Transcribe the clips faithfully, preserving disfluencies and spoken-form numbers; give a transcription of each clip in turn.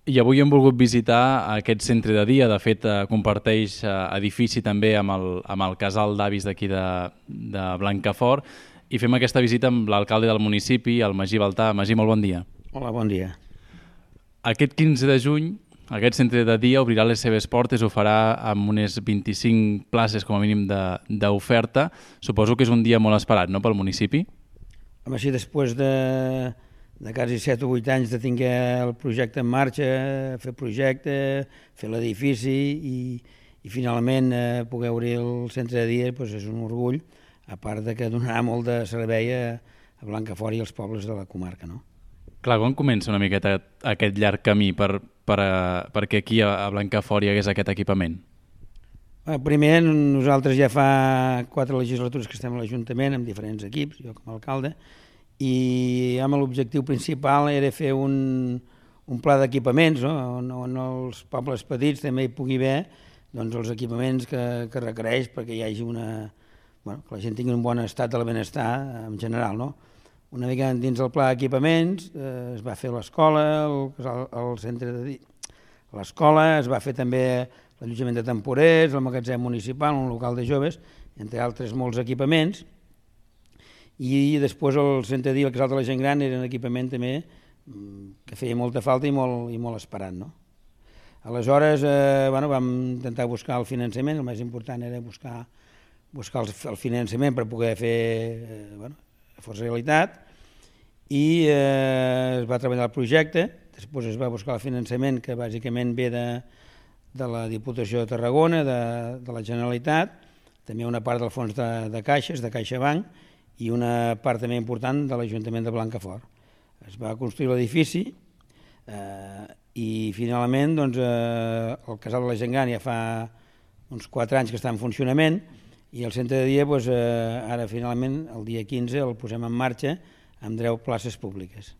I avui hem volgut visitar aquest centre de dia. De fet, eh, comparteix eh, edifici també amb el, amb el casal d'avis d'aquí de, de Blancafort, i fem aquesta visita amb l'alcalde del municipi, el Magí Baltà. Magí, molt bon dia. Hola, bon dia. Aquest quinze de juny, aquest centre de dia obrirà les seves portes, ho farà amb unes vint-i-cinc places com a mínim d'oferta. Suposo que és un dia molt esperat, no?, pel municipi? Home, sí, després de, de quasi set o vuit anys de tinguer el projecte en marxa, fer projecte, fer l'edifici i, i finalment eh, poder obrir el centre de dia, doncs és un orgull, a part de que donarà molt de servei a, a Blancafort i als pobles de la comarca, no? Clar, quan comença una miqueta aquest llarg camí per, per, perquè aquí a Blancafort hi hagués aquest equipament? Primer, nosaltres ja fa quatre legislatures que estem a l'Ajuntament amb diferents equips, jo com a alcalde, i amb l'objectiu principal era fer un, un pla d'equipaments, no? on, on els pobles petits també hi pugui haver doncs, els equipaments que, que requereix perquè hi hagi una... Bueno, que la gent tingui un bon estat del benestar en general, no? Una mica dins del pla d'equipaments eh, es va fer l'escola, el, el centre de... l'escola, es va fer també l'allotjament de temporers, el magatzem municipal, un local de joves, entre altres molts equipaments, i després el centre de dia, el casal de la gent gran, era un equipament també que feia molta falta i molt, i molt esperat, no? Aleshores, eh, bueno, vam intentar buscar el finançament, el més important era buscar, buscar el, el finançament per poder fer, eh, bueno, fos realitat, i eh, es va treballar el projecte, després es va buscar el finançament que bàsicament ve de, de la Diputació de Tarragona, de, de la Generalitat, també una part del fons de, de caixes, de CaixaBank, i una part també important de l'Ajuntament de Blancafort. Es va construir l'edifici eh, i finalment doncs, eh, el casal de la gent gran ja fa uns quatre anys que està en funcionament i el centre de dia doncs, eh, ara finalment el dia quinze el posem en marxa amb deu places públiques.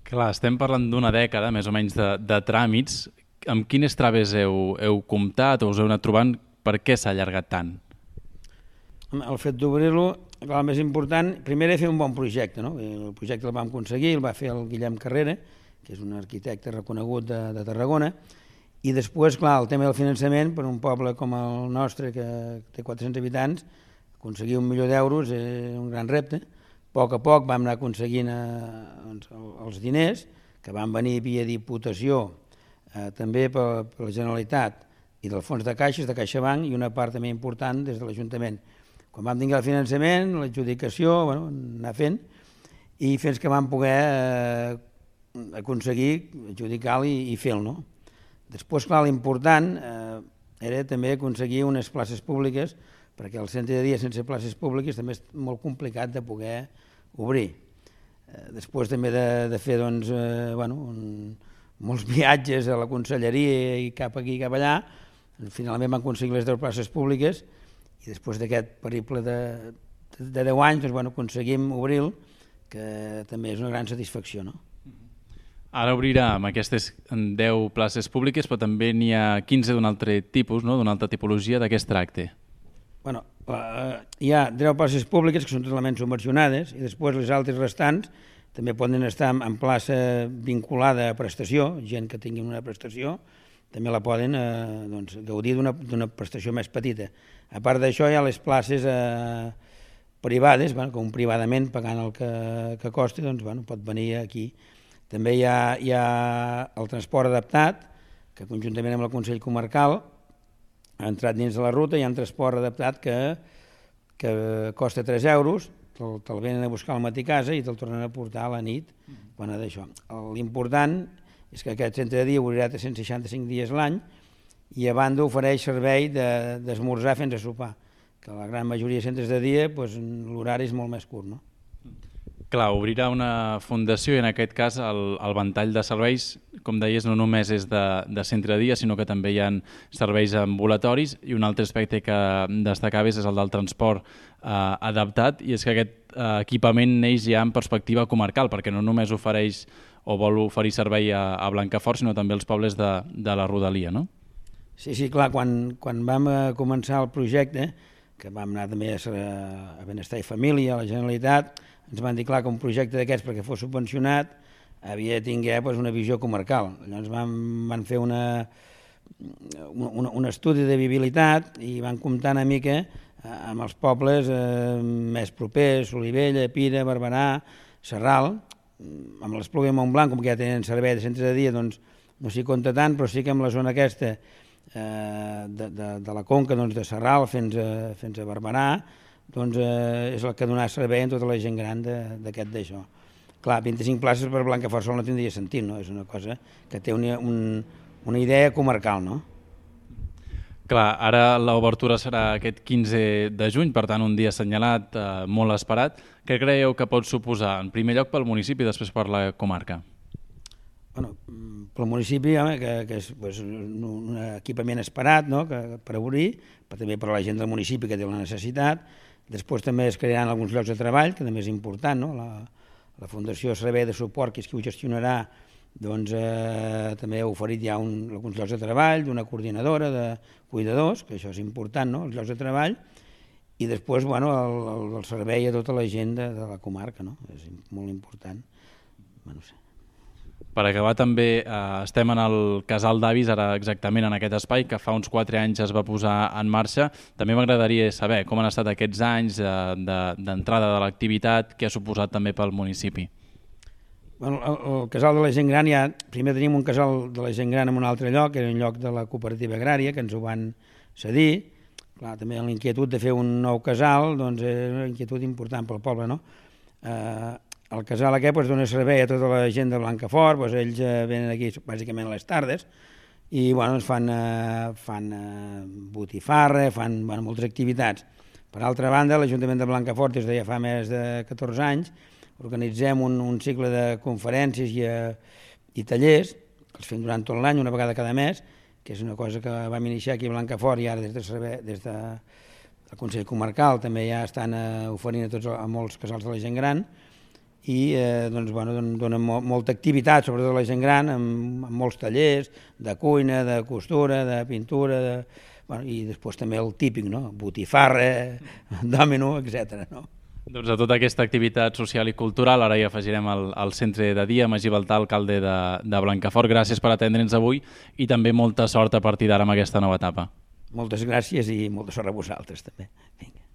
Clar, estem parlant d'una dècada més o menys de, de tràmits. Amb quines traves heu, heu comptat o us heu anat trobant? Per què s'ha allargat tant? El fet d'obrir-lo, el més important, primer era fer un bon projecte, no? El projecte el vam aconseguir, el va fer el Guillem Carrera, que és un arquitecte reconegut de, de Tarragona, i després, clar, el tema del finançament, per un poble com el nostre, que té quatre-cents habitants, aconseguir un milió d'euros és un gran repte. A poc a poc vam anar aconseguint eh, doncs, els diners, que van venir via Diputació, eh, també per, per la Generalitat, i del fons de caixes, de CaixaBank, i una part també important des de l'Ajuntament. Quan vam tenir el finançament, l'adjudicació, bueno, anar fent, i fins que vam poder eh, aconseguir adjudicar-lo i, i fer-lo, no? Després, clar, l'important eh, era també aconseguir unes places públiques, perquè el centre de dia sense places públiques també és molt complicat de poder obrir. Eh, després també de, de fer doncs, eh, bueno, un, molts viatges a la conselleria i cap aquí i cap allà, finalment van aconseguir les deu places públiques i després d'aquest periple de, de deu anys doncs, bueno, aconseguim obrir-lo, que també és una gran satisfacció, no? Ara obrirà amb aquestes deu places públiques, però també n'hi ha quinze d'un altre tipus, no? D'una altra tipologia. De què es tracta? Bueno, eh, hi ha deu places públiques que són totalment subvencionades i després les altres restants també poden estar en plaça vinculada a prestació, gent que tingui una prestació també la poden eh, doncs, gaudir d'una prestació més petita. A part d'això hi ha les places eh, privades, bueno, com privadament pagant el que, que costi, doncs bueno, pot venir aquí. També hi ha, hi ha el transport adaptat, que conjuntament amb el Consell Comarcal ha entrat dins de la ruta. Hi ha un transport adaptat que, que costa tres euros, te'l te venen a buscar al matí a casa i te'l tornen a portar a la nit. Quan ha d'això. L'important és que aquest centre de dia obrirà tres-cents seixanta-cinc dies l'any i a banda ofereix servei d'esmorzar fins a sopar, que la gran majoria de centres de dia doncs, l'horari és molt més curt, no? Clar, obrirà una fundació i en aquest cas el, el ventall de serveis, com deies, no només és de, de centre de dia, sinó que també hi ha serveis ambulatoris i un altre aspecte que destacaves és el del transport eh, adaptat i és que aquest eh, equipament neix ja en perspectiva comarcal perquè no només ofereix o vol oferir servei a, a Blancafort sinó també als pobles de, de la rodalia, no? Sí, sí, clar, quan, quan vam començar el projecte, que vam anar també a, a Benestar i Família, a la Generalitat, ens van dir clar que un projecte d'aquests perquè fos subvencionat havia de tinguer pues, una visió comarcal. Llavors van, van fer una, un, un estudi de viabilitat i van comptar una mica amb els pobles eh, més propers, Solivella, Pira, Barberà, Sarral. Amb l'Espluga i Montblanc, com que ja tenen servei de centre de dia, doncs no s'hi compta tant, però sí que amb la zona aquesta eh, de, de, de la conca doncs, de Sarral fins a, fins a Barberà, doncs eh, és el que donarà servei a tota la gent gran d'aquest d'això. Clar, vint-i-cinc places per Blancafort sol no tindria sentit, no? És una cosa que té una, un, una idea comarcal, no? Clar, ara l'obertura serà aquest quinze de juny, per tant un dia assenyalat, eh, molt esperat. Què creieu que pot suposar, en primer lloc pel municipi i després per la comarca? Bueno, pel municipi, home, que, que és pues, un, un equipament esperat, no?, que, per obrir, però també per a la gent del municipi que té la necessitat. Després també es crearan alguns llocs de treball, que també és important, no? La, la Fundació Servei de Suport, que és qui ho gestionarà, doncs eh, també ha oferit ja un, alguns llocs de treball, d'una coordinadora de cuidadors, que això és important, no?, els llocs de treball, i després bueno, el, el, el servei a tota la gent de, de la comarca, no? És molt important. Bueno, no sé. Per acabar també, eh, estem en el Casal d'Avis, ara exactament en aquest espai, que fa uns quatre anys es va posar en marxa. També m'agradaria saber com han estat aquests anys d'entrada de, de, de l'activitat, què ha suposat també pel municipi. Bueno, el, el casal de la gent gran, ja, primer teníem un casal de la gent gran en un altre lloc, que era un lloc de la cooperativa agrària, que ens ho van cedir. Clar, també l'inquietud de fer un nou casal, doncs és una inquietud important pel poble, no? Eh, el casal aquest pues, dona servei a tota la gent de Blancafort, pues, ells eh, venen aquí bàsicament a les tardes, i bueno, doncs fan, eh, fan eh, botifarra, fan bueno, moltes activitats. Per altra banda, l'Ajuntament de Blancafort, des de ja fa més de catorze anys, organitzem un, un cicle de conferències i, uh, i tallers, que els fem durant tot l'any, una vegada cada mes, que és una cosa que vam iniciar aquí a Blancafort i ara des de, servei, des de el Consell Comarcal també ja estan uh, oferint a, tots, a molts casals de la gent gran i uh, doncs, bueno, donen mo molta activitat, sobretot a la gent gran, amb, amb molts tallers de cuina, de costura, de pintura, de, bueno, i després també el típic, no? Botifarra, dòmino, etcètera, no? Doncs a tota aquesta activitat social i cultural ara hi afegirem el, el centre de dia. Magí Baltà, alcalde de, de Blancafort, gràcies per atendre'ns avui i també molta sort a partir d'ara amb aquesta nova etapa. Moltes gràcies i molta sort a vosaltres també. Vinga.